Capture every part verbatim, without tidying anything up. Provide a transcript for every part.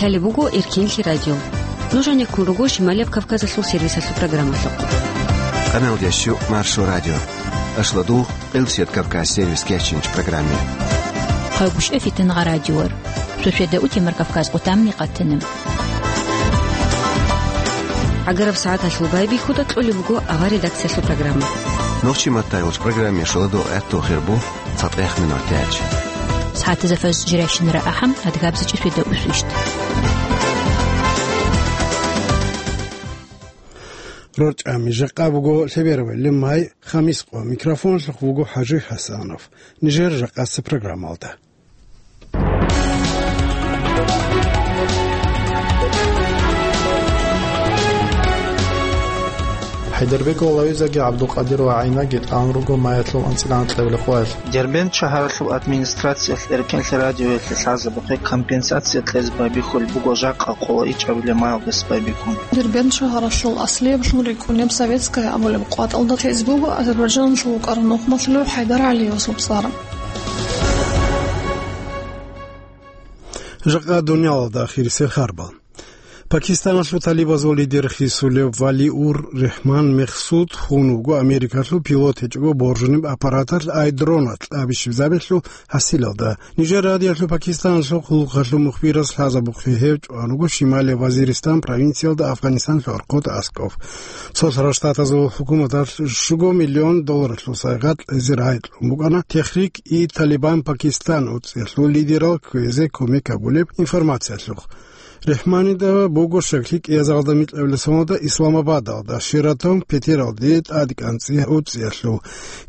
Лъалеб буго Эркенлъи радио. Нуж гьанеккун руго Шималияб Кавказалъул сервисалъул программалъухъ. Къаналдящу Маршо радио. Ашладу Къилсият Кавказ сервис кечинч программе. Хъагуш эфитан гъа радиор. Суседа утимар Кавказ къутамни къатана. ГӀагараб сагӀаталъул байбихьуда кьолеб буго авар редакциялъул программа. Нохчи маттайулч программе шоладо гӀатту хирбу цатӀех минутач. СагӀатазда фаз жиращинара ахӀам адгабзачӀи суседа усвищт. РорчӀами жакъа буго лъеберавай лемай, хамис къо микрофонлъухъ вуго ХӀажи ХӀасанов. Нижер жакъасеб программалда. ХӀайдарбеков Лавизаги ГӀабдулкъадир ва ГӀайнаги тӀалун руго маялъул анцӀила анкьабилеб къоялъ. Дербент шагьаралъул администрациялъ Эркенлъи радиоялъе лъазабухъе компенсация кьезе байбихьулеб буго жакъа къоло ичӀабилеб маялдаса байбихьун. Дербент шагьаралъул аслияб лъун рикӀкӀунеб Советская абулеб къватӀалда лъезе буго Азербайджаналъул вукӀарав нухмалъулев ХӀайдар ГӀалиевасул цӀар. Жакъа дуниялалда ахирисел харбал. Пакистаналъул талибазул лидер хисулев Валиур Рехман Мехсуд хун вуго Америкалъул пилот гьечӀого боржунеб аппараталъ ай дроналъ абищиб забелъул гьасилалда. Нижер радиолъул Пакистаналъул хъулухъалъул мухбирас лъазабухъе гьев чӀван вуго Шималияб Вазиристан провинциялда Афганистаналъул архъод аскӀов. Цолъарал Штатазул хӀукуматалъ щуго миллион долларалъул сайгъат кьезе рагӀи кьун букӀана Техрик-и-Талибан Пакистан уцӀиялъул лидерал кквезе кумек гьабулеб информациялъухъ. Рехманида буго щаклъи кӀиазаралда микьабилеб соналда Исламабадалда Шератон петералде тӀадкӀанцӀи уцӀиялъул.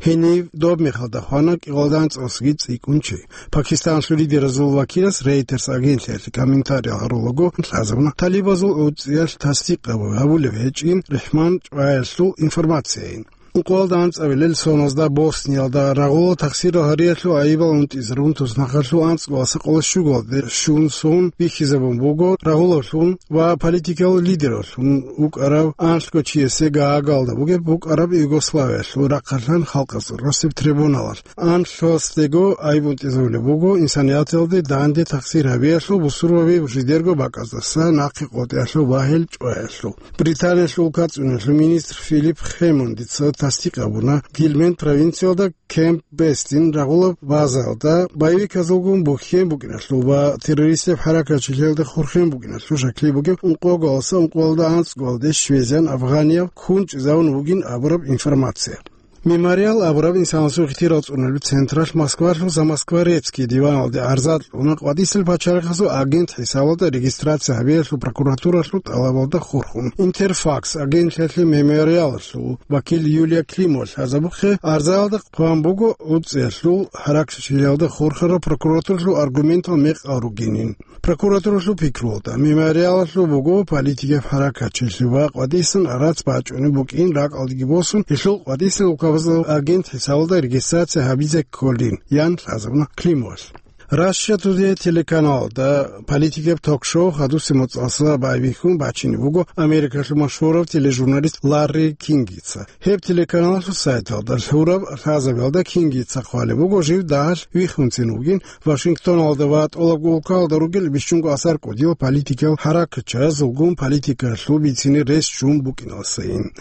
Гьенив доб мехалда хвана кӀикъоялда анцӀгоялдасаги цӀикӀкӀун чи. Пакистаналъул лидеразул вакилас Рейтерс агентлъиялъе комментарий гьарулаго лъазабуна талибазул уцӀиялъ тасдикъ гьабулеб гьечӀин Рехман чӀваялъул информацияйин. Ункъоялда анцӀабилел соназда Босниялда рагъулал тахсирал гьариялъул гӀайибал унтӀизарун туснахъалъул анцӀгоялдаса къоло щугоялде щун сон бихьизабун буго рагъулавлъун ва политикал лидераллъун вукӀарав анлъго чиясе Гаагаялда бугеб букӀараб Югославиялъул рахъалъан халкъалъул росеб трибуналалъ. Анлъгоялдасаго гӀайиб унтӀизабулеб буго инсанияталде данде тахсир гьабиялъул бусурбаби жидерго бакӀаздаса нахъе къотӀиялъул багьил чӀваялъул. Британиялъул улкацӀцӀуналъул министр Филипп Хэммондица тасдикъ гьабуна Гильмент провинциялда Кемп Бестин рагъулаб базаялда боевиказулгун бухьен букӀиналъул ва террористияб хӀаракатчилъиялда хурхен букӀиналъул щаклъи бугеб ункъоялдаса ункъоялда анцӀгоялде щвезегӀан афганияв хун чӀезавун вугин абураб информация. Мемориал абураб инсанасул ихтияр цӀунулеб централъ Москвалъул Замоскворецкий диваналде гӀарза кьуна къватӀисел пачалихъасул агент хӀисабалда регистрация гьабиялъул прокуратуралъул тӀалабалда хурхун. Интерфакс агентлъиялъе Мемориалалъул вакил Юлия Климова лъазабухъе гӀарзаялда хъван буго уцӀиялъул хӀаракатчилъиялда хурхарал прокуратуралъул аргументал мекъал ругинин. Прокуратуралъул пикруялда, Мемориалалъул буго политикаб хӀаракатчилъи ва къватӀисан гӀарац бачӀунеб букӀин ракӀалдеги босун, гьелъул къватӀисел улкабазул агент хӀисабалда регистрация гьабизе кколин, ян лъазабуна Климовалъ. Russia Today телеканалда политикаб ток-шоу хадусеб моцӀалъ байбихьун бачине буго Америкалъул машгьурав тележурналист Ларри Кингица. Гьеб телеканалалъул сайталда лъураб лъазабиялда Кингица хъвалеб буго жив дагьалъ вихьунцин вугин Вашингтоналда ва тӀолабго улкаялда ругел бищунго асар кӀудиял политикиял хӀаракатчиязулгун политикалъул бицине рес ччун букӀиналдасайин.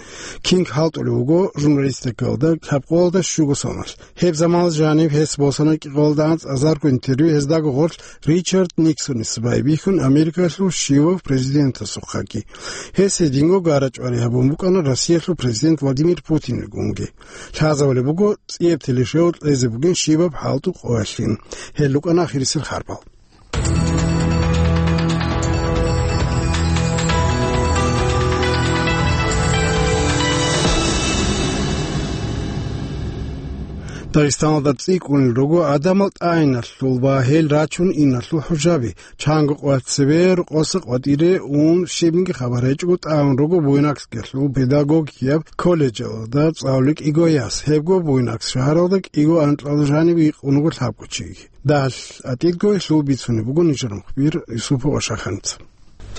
Кинг хӀалтӀулев вуго журналистикаялда лъабкъоялда щуго соналъ. Гьеб заманалъ жаниб гьес босана кӀикъоялда анцӀазарго интервью гьездаго гъорлъ Ричард Никсонис байбихьун Америкалъул щивав президентасухъаги. Гьес гьединго гара-чӀвари гьабун букӀана Россиялъул президент Владимир Путинилгунги. Лъазабулеб буго, цӀияб телешоу кьезе бугин щибаб хӀалтӀу къоялъин. Гьел рукӀана ахирисел харбал. Дагъистаналда цӀикӀкӀунел руго гӀадамал тӀагӀиналъул ва гьел рачун иналъул хӀужаби. Чанго къоялъ цебе рокъоса къватӀире ун щибниги хабар гьечӀого тӀагӀун руго Буйнакскиялъул педагогияб колледжалда цӀалулел кӀиго яс. Гьебго Буйнакск шагьаралда кӀиго анкьалда жаниб икъун вуго лъабго чиги. Дагьалъ атӀидго гьелъул бицунеб буго нижер мухбир Юсупов Ашаханица.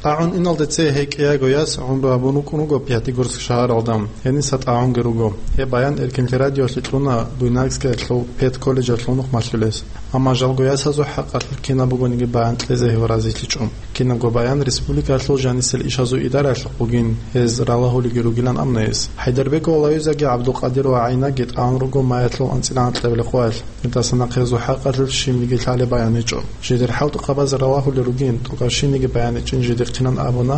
ТӀагӀун иналде цее гьей кӀиго яс гӀумру гьабун вукӀун вуго Пятигорск шагьаралда. Гьениса тӀагӀунги руго. Гьеб баян Эркенлъи радиолъе кьуна Буйнакскиялъул педколледжалъул нухмалъулес. Амма жалго ясазул хӀакъалъулъ кинаб бугониги баян кьезе гьев разилъичӀо. Кинабго баян республикалъул жанисел ишазул идараялъухъ бугин, гьез ралагьулеги ругилан амнайис. ХӀайдарбекова Лаюзаги ГӀабдулкъадирова ГӀайнаги тӀагӀун руго маялъул анцӀила анкьабилеб къоялъ. Гьелдаса нахъе гьезул хӀакъалъулъ щибниги лъалеб баян гьечӀо. Жидер хӀалтӀухъабаз ралагьулел ругин, тӀокӀаб щибниги баян гьечӀин жидехъилан абуна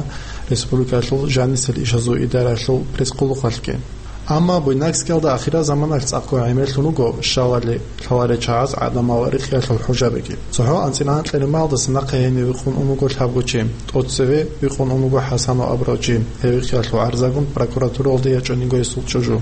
республикалъул жанисел ишазул идараялъул пресс-къуллукъалъги. Амма Буйнакскиялда ахирал заманалъ цӀакъго гӀемерлъун руго щалали лъаларел чагӀаз гӀадамал рикъиялъул хӀужабиги. ЦохӀо анцӀила анкьабилеб маялдаса нахъе гьенив вихъун ун вуго лъабго чи. ТӀоцеве вихъун ун вуго ХӀасанов абурав чи. Гьев вихъиялъул гӀарзагун прокуратуралде ячӀун йиго гьесул чӀужу.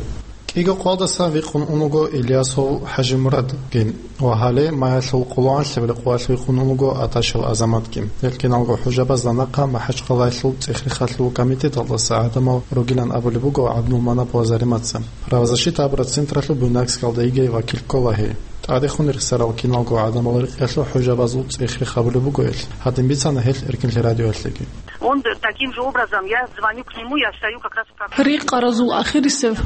КӀиго къоялдасан вихъун ун вуго Ильясов ХӀажимурадги ва гьале маялъул къоло анлъабилеб къоялъ вихъун ун вуго Аташев Азаматги. Гьел киналго хӀужабазда нахъа МахӀачхъалаялъул цӀех-рехалъул комитеталдаса гӀадамал ругилан абулеб буго ГӀабдулманапова Заримаца. Правозащита абураб централъул Буйнакскиялда йигей вакил ккола гьей. ТӀадехун рехсарал киналго гӀадамал рикъиялъул хӀужабазул цӀех-рех гьабулеб буго гьел. Гьадин бицана гьел Эркинлъи радиоялъеги. Он таким же образом, я звоню к нему, я встаю как раз в прокуратуру. Рикъаразул ахирисев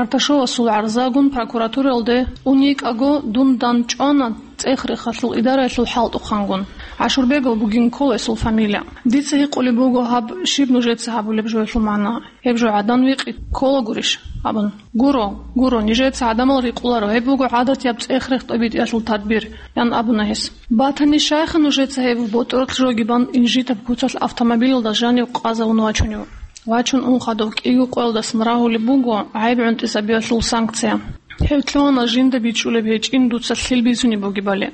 Арташовасул гӀарзагун прокуратуралде ун йикӀаго, дун дандчӀвана цӀех-рехалъул идараялъул хӀалтӀухъангун. ГӀашурбегов бугин ккола гьесул фамилия. Дица гьикъулеб буго гьаб щиб нужеца гьабулеб жоялъул магӀна. Гьеб жо гӀадан викъи ккола гурищ? Абун. Гуро, гуро, нижеца гӀадамал рикъуларо, гьеб буго гӀадатияб цӀех-рех тӀобитӀиялъул тадбир, ян абуна гьес. Батани, щайха нужеца гьеб ботӀролъ жоги бан инжитаб куцалъ автомобилалда жанив къазавун вачунев? Вачун ун хадуб кӀиго къоялдасан рагьулеб буго гӀайиб гӀунтӀизабиялъул санкция. Гьев лъугьана жинда бичӀчӀулеб гьечӀин дуца лъил бицунеб бугебали.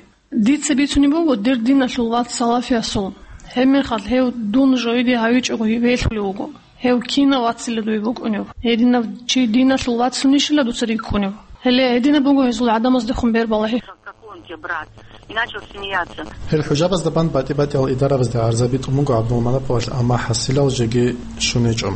Дица бицунеб буго дир диналъул вац салафиясул. Гьебмехалъ гьев дун жоялде гьавичӀого велъулев вуго. Гьев кинав вацила дуе букӀунев? Гьединав чи диналъул вацунищила дуца рикӀкӀунев? Гьеле, гьединаб буго гьезул гӀадамаздехун бер балагьи. Как он тебе, брат? И начал смеяться. Гьел хӀужабазда бан батӀи-батӀиял идарабазде гӀарзаби тӀун буго ГӀабдулманаповалъ, амма хӀасилал жеги щун гьечӀо.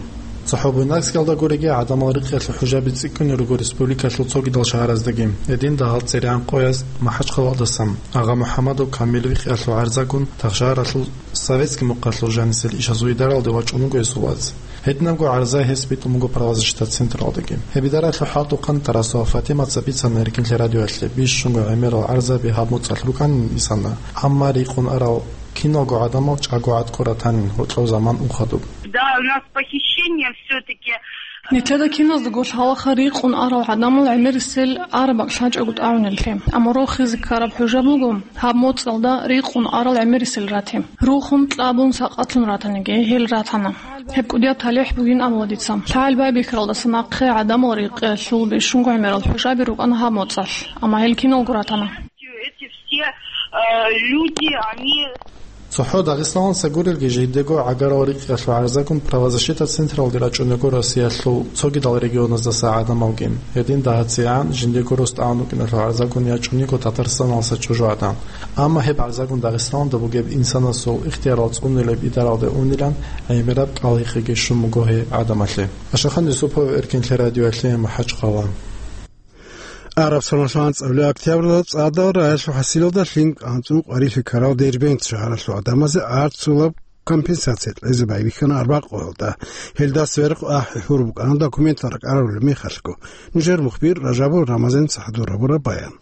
ЦохӀо Буйнакскиялда гуреги, гӀадамал рикъиялъул хӀужаби цӀикӀкӀунел руго республикалъул цогидал шагьараздеги, гьедин дагьал цӀеригӀан къояз МахӀачхъалаялдасан Агъа МухӀамадов Камил вихъиялъул гӀарзагун Тахшагьаралъул Советский мухъалъул жанисел ишазул идаралде вачӀун вуго гьесул вац. Гьединабго гӀарза гьес битӀун буго правозащита централдеги. Гьеб идаралъул хӀалтӀухъан Тарасова Фатимаца бицана Эркинлъи радиоялъе, бищунго гӀемерал гӀарзаби гьаб моцӀалъ рукӀанин исана, амма рикъун арал киналго гӀадамал чӀаго гӀатӀго ратанин, гьоркьов заман ун хадуб. Да, у нас похищение всё-таки. Нилъеда киназдаго лъалаха рикъун арал гӀадамал гӀемерисел араб бакӀ лъачӀого тӀагӀунеллъи. Амма рохизе ккараб хӀужа буго гьаб моцӀалда рикъун арал гӀемерисел рати. Рухун кьабун сакъатлъун ратаниги, гьел ратана. Гьеб кӀудияб талихӀ бугин абула дица. ЛъагӀел байбихьаралдаса нахъе гӀадамал рикъиялъул бищунго гӀемерал хӀужаби рукӀана гьаб моцӀалъ, амма гьел киналго ратана. Эти все, э, люди, они ЦохӀо Дагъистаналдаса гурелги, жидего гӀагарал рикъиялъул гӀарзагун правозащита централде рачӀунего Россиялъул цогидал регионаздаса гӀадамалги. Гьедин дагьациян жиндего рос тӀагӀун рукӀиналъул гӀарзагун ячӀун йиго Татарстаналдаса чӀужугӀадан. Амма гьеб гӀарзагун Дагъистаналда бугеб инсанасул ихтиярал цӀунилеб идаралде унилан гӀемераб кӀалгӀиги щун буго гьей гӀадамалъе. Ашахан Юсупов, Эркинлъи радиоялъе, МахӀачхъала. Араб соналъул анцӀабилеб октябрьалда цӀадал рагӀалъул хӀасилалда лъим анцӀун къварилъи ккарал Дербент шагьаралъул гӀадамазе арцулаб компенсация кьезе байбихьана арбакъоялда. Гьелдаса верхъ ахӀи-хӀур букӀана документал ракӀарабулеб мехалъго. Нужер мухбир Ражабов Рамазан цадахъ гьабураб баян.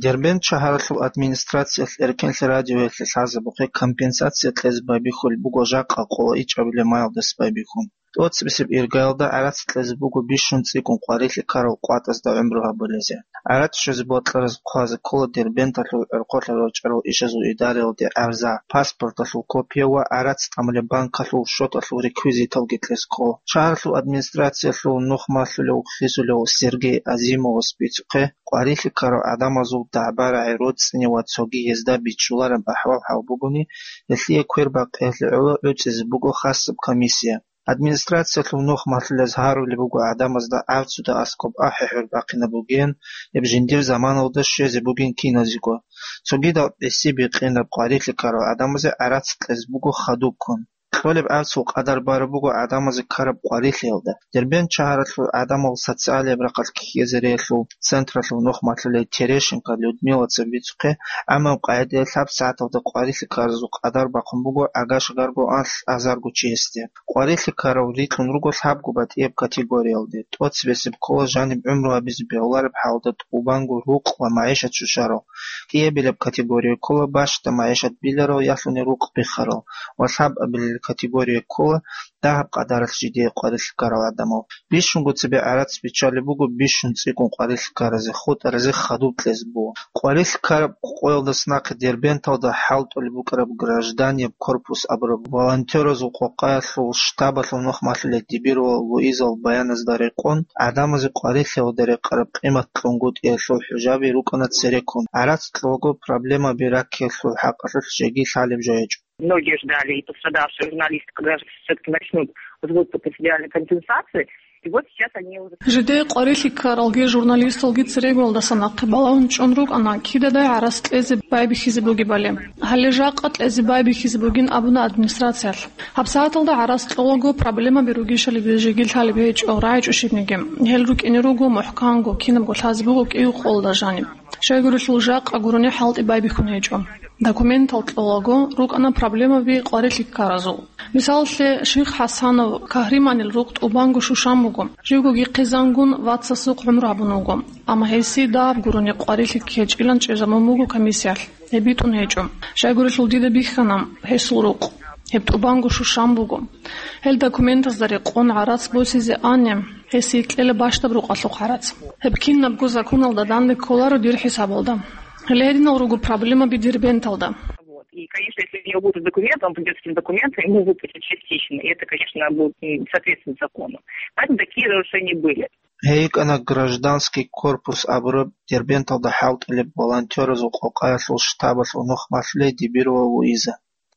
Дербент шагьаралъул администрациялъ Эркинлъи радиоялъе лъазабухъе компенсация кьезе байбихьулеб буго жакъа къоло ичӀабилеб маялдаса байбихьун. ТӀоцебесеб иргаялда гӀарац кьезе буго бищун цӀикӀкӀун къварилъи ккарал къватӀазда гӀумру гьабулезе. ГӀарац щвезе бокьараз хъвазе ккола Дербенталъул гӀорхъолъа рорчӀарал ишазул идараялде гӀарза, паспорталъул копия ва гӀарац тӀамулеб банкалъул счеталъул реквизиталги кьезе ккола. Шагьаралъул администрациялъул нух малъулев, хисулев Сергей Азимовас бицухъе, къварилъи ккарал гӀадамазул дагӀба-рагӀи, роцӀцӀи ва цоги гьезда бичӀчӀулареб ахӀвал-хӀал бугони, гьелъие квербакъиялъе гӀоло гӀуцӀизе буго хасаб комиссия. Администрациялъул нух малъулез гьарулеб буго гӀадамазда арцуда аскӀоб ахӀи-хӀур бахъинаб бугин, гьеб жиндир заманалда щвезе бугин киназего. Цогидал гӀиси-бикъинаб къварилъи ккарал гӀадамазе гӀарац кьезе буго хадубккун. Кьолеб гӀарцул къадар бараб буго гӀадамазе ккараб къварилъиялда. Дербент шагьаралъул гӀадамал социалияб рахъалъ ккезариялъул централъул нухмалъулей Терешенко Людмилаца бицухъе, гӀамаб къагӀидаялъ гьаб сагӀаталда къварилъи ккаразул къадар бахъун буго гӀагаш-гарго анлъ азарго чиясде. Къварилъи ккарал рикьун руго лъабго батӀияб категориялде: тӀоцебесеб ккола жаниб гӀумру гьабизе бегьулареб хӀалда тӀубанго рукъ ва магӀишат щущарал, кӀиабилеб категория ккола бащда магӀишат биларал ялъуни рукъ биххарал ва лъабабилел категория ккола дагьаб къадаралъ жидее къварилъи ккарал гӀадамал. Бищунго цебе гӀарац биччалеб буго бищун цӀикӀкӀун къварилъи ккаразе, хутӀаразе хадуб кьезе буго. Къварилъи ккараб къоялдаса нахъе Дербенталда хӀалтӀулеб букӀараб гражданияб корпус абураб волонтеразул къокъаялъул штабалъул нухмалъулей Дибирова Луизал баяназда рекъон, гӀадамазе къварилъиялда рекъараб къимат кьунгутӀиялъул хӀужаби рукӀана цереккун. ГӀарац кьолаго проблемаби раккиялъул хӀакъалъулъ жеги лъалеб жо гьечӀо. Многие ждали, и пострадавшие журналисты, когда же всё-таки начнут выплаты социальной компенсации. И вот сейчас они уже Жидее къварилъи ккаралги журналисталги церегоялдаса нахъе балагьун чӀун рукӀана, кидадай гӀарац кьезе байбихьизе бугебали. Гьале жакъа кьезе байбихьизе бугин абуна администрациялъ. ГьабсагӀаталда гӀарац кьолаго проблемаби ругищали жеги лъалеб гьечӀо, рагӀичӀо щибниги. Гьел рукӀине руго мухӀканго, кинабго лъазе буго кӀиго къолда жаниб. Щайгурелъул жакъа гурони хӀалтӀи байбихьун гьечӀо. Документал кьолаго рукӀана проблемаби къварилъи ккаразул. Мисаллъе, Ших ХӀасанов Кагьриманил рукъ тӀубанго щущан буго. Живгоги хъизангун вацасухъ гӀумру гьабун вуго. Амма гьесие дагьаб гурони къварилъи ккечӀилан чӀезабун буго комиссиялъ. Гьеб битӀун гьечӀо. Щайгурелъул дида бихьана гьесул рукъ. Гьеб тӀубанго щущан буго. Гьел документазда рекъон гӀарац босизе ани, гьесие кьела бащдаб рукъалъухъ гӀарац. Гьеб кинабго законалда данде кколаро дир хӀисабалда. Гьеле гьединал руго проблемаби Дербенталда. Вот. И, конечно, если у него будут документы, он придёт с этим документом, ему выплатят частично. И это, конечно, будет, м, соответствовать закону. Поэтому такие нарушения были. Гьей йикӀана гражданский корпус абураб Дербенталда хӀалтӀулеб волонтеразул къокъаялъул штабалъул нухмалъулей Дибирова Луиза.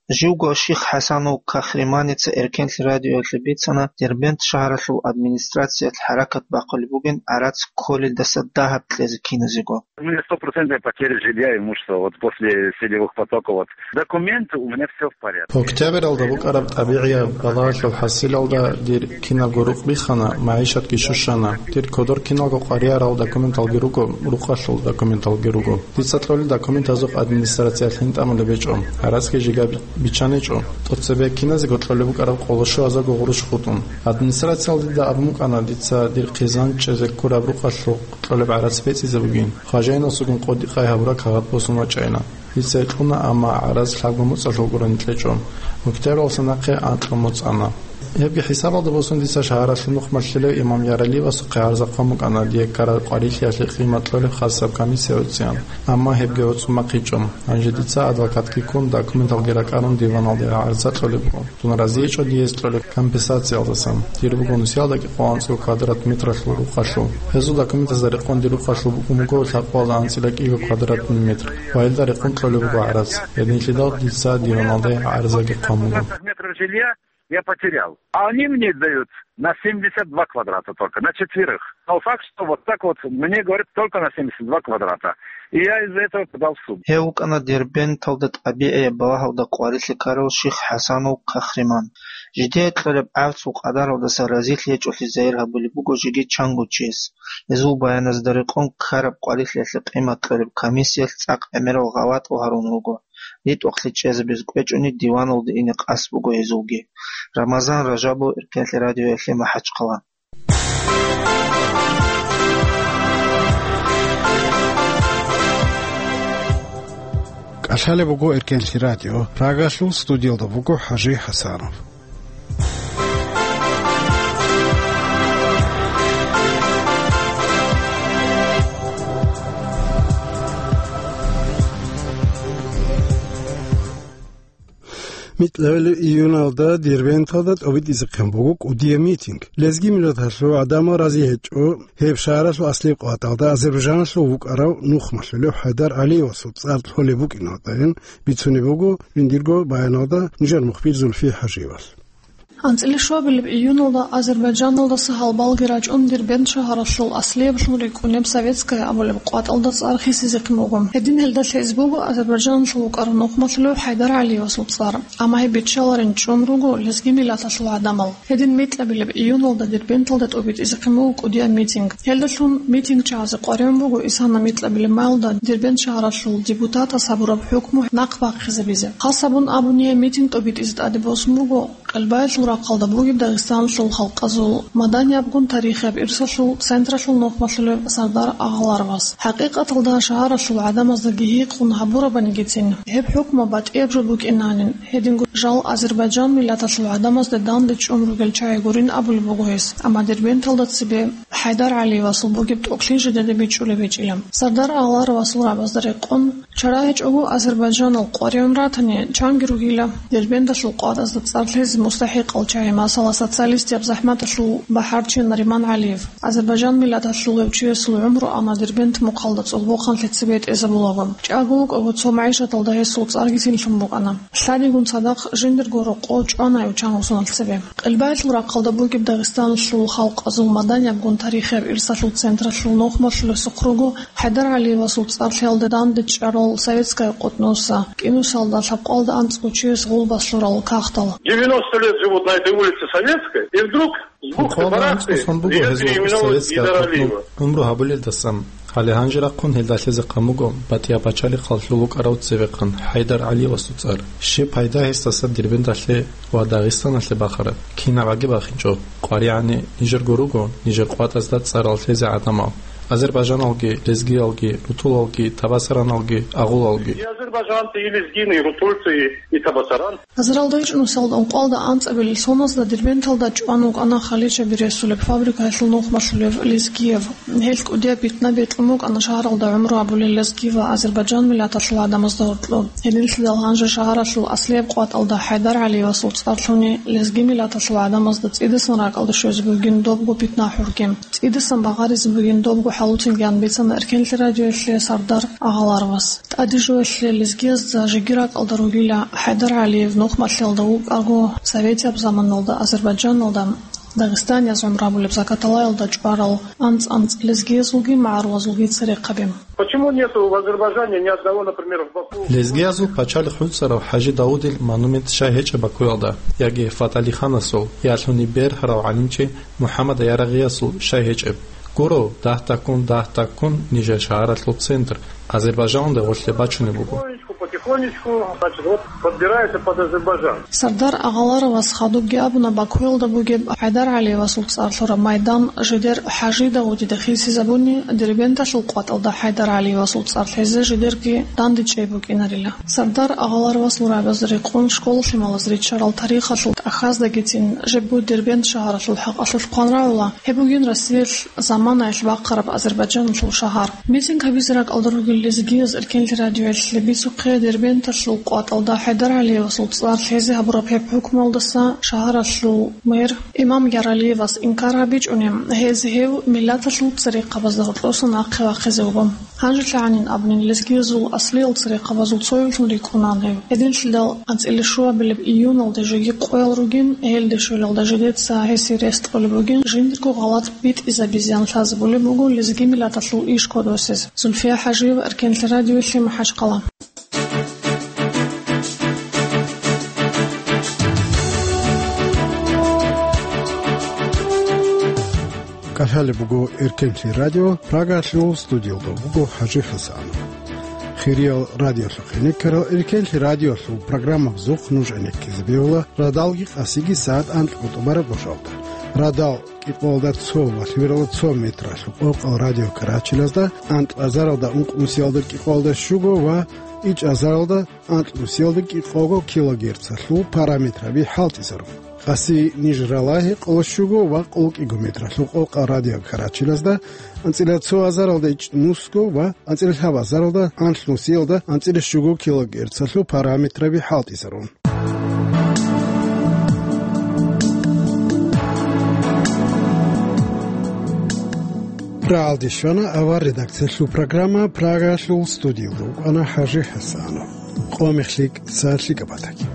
Живго Ших ХӀасанов Кахриманица Эркенлъи радиоялъе бицана, Дербент шагьаралъул администрациялъ хӀаракат бахъулеб бугин гӀарац кколелдаса дагьаб кьезе киназего. У меня стопроцентная потеря жилья и имущества вот после селевых потоков. Вот документы у меня всё в порядке. Октябралда букӀараб тӀабигӀияб балагьалъул хӀасилалда дир кинабго рукъ биххана, магӀишатги щущана. Дир кодор киналго къваригӀарал документалги руго, рукъалъул документалги руго. Дица кьолел документазухъ администрациялъ гьин тӀамулеб гьечӀо. ГӀарацги жигаб биччаничӀо. ТӀоцебе киназего кьолеб букӀараб къоло щуазарго гъурущ хутӀун. Администрациялда дида абун букӀана, дица дир хъизан чӀезе ккураб рукъалъухъ кьолеб гӀарац бецӀизе бугин. Хважайнасулгун къодикъай гьабураб кагъат босун вачӀайна. Дица кьуна, амма гӀарац лъабго моцӀалъул гурони кьечӀо. Октябралса нахъе анкьго моцӀ ана. Гьебги хӀисабалда босун дица шагьаралъул нухмалъулев имам Яралиевасухъе гӀарза хъван букӀана, дие ккараб къварилъиялъе къимат кьолеб хасаб комиссия гӀуцӀиан, амма гьебги гӀуцӀун бахъичӀо. Гьанже дица адвокатги ккун, документалги ракӀарун диваналде гӀарза кьолеб буго. Дун разиечӀо дие кьолеб компенсациялдасан. Дир буго нусиялда кӀикъоялда анцӀго квадрат метралъул рукъалъул. Гьезул документазда рекъон дир рукъалъул букӀун буго лъабкъоялда анцӀила кӀиго квадратный метр. Ва гьелда рекъон кьолеб буго гӀарац. Гьединлъидал дица диваналде гӀарзаги хъван буго. Я потерял. А они мне дают на семьдесят два квадрата только, на четверых. Но факт, что вот так вот мне говорят только на семьдесят два квадрата. И я из-за этого подал в суд. Гьев вукӀана Дербенталда тӀабигӀияб балагьалда къварилъи ккарав Ших ХӀасанов Кахриман. Жидее кьолеб гӀарцул къадаралдаса разилъи гьечӀолъи загьир гьабулеб буго жеги чанго чияс. Гьезул баяназда рекъон ккараб къварилъиялъе къимат кьолеб комиссиялъ цӀакъ гӀемерал гъалатӀал гьарун руго. РитӀухълъи чӀезабиз кӀвечӀони диваналде ине къасд буго гьезулги. Рамазан Ражабов, Эркенлъи радиоялъе, МахӀачхъала. КӀалъалеб буго Эркенлъи радио. Прагалъул студиялда буго ХӀажи ХӀасанов. Микьабилеб июналда Дербенталда тӀобитӀизехъин буго кӀудияб митинг. Лезги миллаталъул гӀадамал рази гьечӀо гьеб шагьаралъул аслияб къватӀалда Азербайжаналъул вукӀарав нухмалъулев ХӀайдар ГӀалиевасул цӀар лъолеб букӀиналдайин бицунеб буго жиндирго баяналда нижер мухбир Зульфи ХӀажиевас. АнцӀила щуабилеб июналда Азербайджаналдаса гьалбалги рачӀун Дербент шагьаралъул аслияб лъун рикӀкӀунеб Советская абулеб къватӀалда цӀар хисизехъин буго. Гьедин гьелда лъезе буго Азербайджаналъул вукӀарав нухмалъулев ХӀайдар ГӀалиевасул цӀар, амма гьеб биччаларин чӀун руго лезги миллаталъул гӀадамал. Гьедин микьабилеб июналда Дербенталда тӀобитӀизехъин буго кӀудияб митинг. Гьелдалъун митингчагӀазе къваригӀун буго исана микьабилеб маялда Дербент шагьаралъул депутатас гьабураб хӀукму нахъ бахъизабизе. Хас гьабун абуни, гьеб митинг тӀобитӀизе тӀаде босун буго Къелбаялъул рахъалда бугеб Дагъистаналъул халкъазул маданиябгун тарихияб ирсалъул централъул нухмалъулев Сардар Агъаларовас. ХӀакъикъаталда, шагьаралъул гӀадамаздаги гьикъун гьабурабанигицин, гьеб хӀукму батӀияб жо букӀинанин, гьединго жал Азербайджан миллаталъул гӀадамазда данде чӀун ругел чагӀи гурин абулеб буго гьес, амма Дербенталда цебе ХӀайдар ГӀалиевасул бугеб тӀокӀлъи жидеда бичӀчӀулеб гьечӀила. Сардар Агъаларовасул рагӀабазда рекъон, чара гьечӀого Азербайджанал къваригӀун ратани, чанги ругила Дербенталъул къватӀазда цӀар лъезе мустахӀикъал чагӀи, масала, социалистияб захӀматалъул бахӀарчи Нариман ГӀалиев. Азербайджан миллаталъулев чиясул гӀумру ана Дербент мухъалда цӀолбохъанлъи цебетӀезабулаго. ЧӀаго вукӀаго цо магӀишаталда гьесул цӀарги синлъун букӀана. Лъадигун цадахъ жиндирго рокъов чӀвана гьев чангъусуналъ цебе. Къелбаялъул рахъалда бугеб Дагъистаналъул халкъазул маданиябгун тарихияб ирсалъул централъул нухмалъулесухъ руго ХӀайдар ГӀалиевасул цӀар лъеялда данде чӀарал Советская къотӀнуса, кӀинусалда лъабкъоялда анцӀго чияс гъулбас лъурал кагътал. Девяносто лет живут на этой улице Советской, и вдруг с бухты-барахты идёт переименовывать Гейдара Алиева. ГӀумру гьабулелдасан, гьале гьанже рахъун гьелда лъезехъан буго батӀияб пачалихъалъул вукӀарав цевехъан ХӀайдар ГӀалиевасул цӀар. Щиб пайда гьесдаса Дербенталъе ва Дагъистаналъе бахараб? Кинаб гӀаги бахинчӀо. КъваригӀани нижерго руго нижер къватӀазда цӀарал лъезе гӀадамал: азербайджаналги, лезгиялги, рутулалги, табасараналги, агъулалги. И азербайджанцы, и лезгины, и рутульцы, и, и табасаранцы. Азаралда ичӀнусиялда ункъоялда анцӀабилеб соналда Дербенталда чӀван вукӀана халичаби ресулеб фабрикаялъул нухмалъулев Лезгиев. Гьел кӀудияб питна бекьун букӀана шагьаралда гӀумру гьабулел лезги ва азербайджан миллаталъул гӀадамазда гьоркьоб. Гьединлъидал гьанже шагьаралъул аслияб къватӀалда ХӀайдар ГӀалиевасул цӀар лъуни лезги миллаталъул гӀадамазда цӀидасан ракӀалде щвезе бугин добго питна-хӀурги. ЦӀидасан багъаризе бугин добго хӀалуцинги анбицана Эркенлъи радиоялъе Сардар Агъаларовас. ТӀаде жоялъе лезгиязда жеги ракӀалда ругила ХӀайдар ГӀалиев нухмалъиялда вукӀаго, советияб заманалда Азербайджаналда, Дагъистанияз гӀумру гьабулеб Закаталаялда чӀварал анцӀ-анцӀ лезгиязулги магӀарулазулги церехъаби. Почему нету в Азербайджане ни одного, например, в Баку? Лезгиязул пачалихъ гӀуцӀарав ХӀажи Давудил монумент щай гьечӀеб Бакуялда, яги Фаталиханасул, ялъуни бергьарав гӀалимчи МухӀаммад Ярагъиясул щай гьечӀеб? Гуро, дагь-дагьккун, дагь-дагьккун нижер шагьаралъул центр Азербайджаналда гъорлъе бачунеб буго. Потихонечку, значит, вот подбирается под Азербайджан. Сардар Агъаларовас хадубги абуна Бакуялда бугеб ХӀайдар ГӀалиевасул цӀар лъураб майдан жидер ХӀажи Давудида хисизабуни, Дербенталъул къватӀалда ХӀайдар ГӀалиевасул цӀар лъезе жидерги дандечӀей букӀинарила. Сардар Агъаларовасул рагӀабазда рекъон школа-лъималаз риччарал тарихалъул тӀахьаздагицин жибго Дербент шагьаралъул хӀакъалъулъ хъван рагӀула, гьеб бугин Россиялъ заманаялъ бахъараб Азербайджаналъул шагьар. Митинг гьабизе ракӀалда ругел лезгияз Эркенлъи радиоялъе бицухъе Дербенталъул къватӀалда ХӀайдар ГӀалиевасул цӀар лъезе гьабураб гьеб хӀукмуялдаса шагьаралъул мэр Имам Яралиевас инкар гьабичӀони, гьез гьев миллаталъул церехъабазда гьоркьоса нахъе вахъизе вуго. ГьанжелъагӀанин абунин, лезгиязул аслиял церехъабазул цоявлъун рикӀкӀунан гьев. Гьединлъидал анцӀила щуабилеб июналда жеги къоял ругин, гьелде щвелалда жидеца гьесие рес кьолеб бугин, жиндирго гъалатӀ битӀизабизеян лъазабулеб буго лезги миллаталъул иш кодосез. Зульфия ХӀажиева, Эркенлъи радиоялъе, МахӀачхъала. КӀалъалеб буго Эркенлъи радио, Прагалъул студиялда буго ХӀажи ХӀасанов. Хириял радиолъухъе ккарал Эркенлъи радиолъул программабазухъ нуж гӀенеккизе бегьула радалги къасиги сагӀат анкьго тӀубараб гъошалда. Радал кӀикъоялда цо ва лъимералда цо метралъул къокъал радиокарачелазда, анкьазаралда ункънусиялда кӀикъоялда щуго ва ичӀазаралда анкьнусиялда кӀикъого килогерцалъул параметраби хӀалтӀизарун. Къаси ниж ралагьи къоло щуго ва къоло кӀиго метралъул къокъал радиокарачелазда, анцӀила цо азаралда ичӀнусго ва анцӀила лъабазаралда анлънусиялда анцӀила щуго килогерцалъул параметраби хӀалтӀизарун. Рагьалде щвана авар редакциялъул программа, Прагалъул студиялда вукӀана ХӀажи ХӀасанов. Къо мех лъикӀ, са лъикӀаб батаги.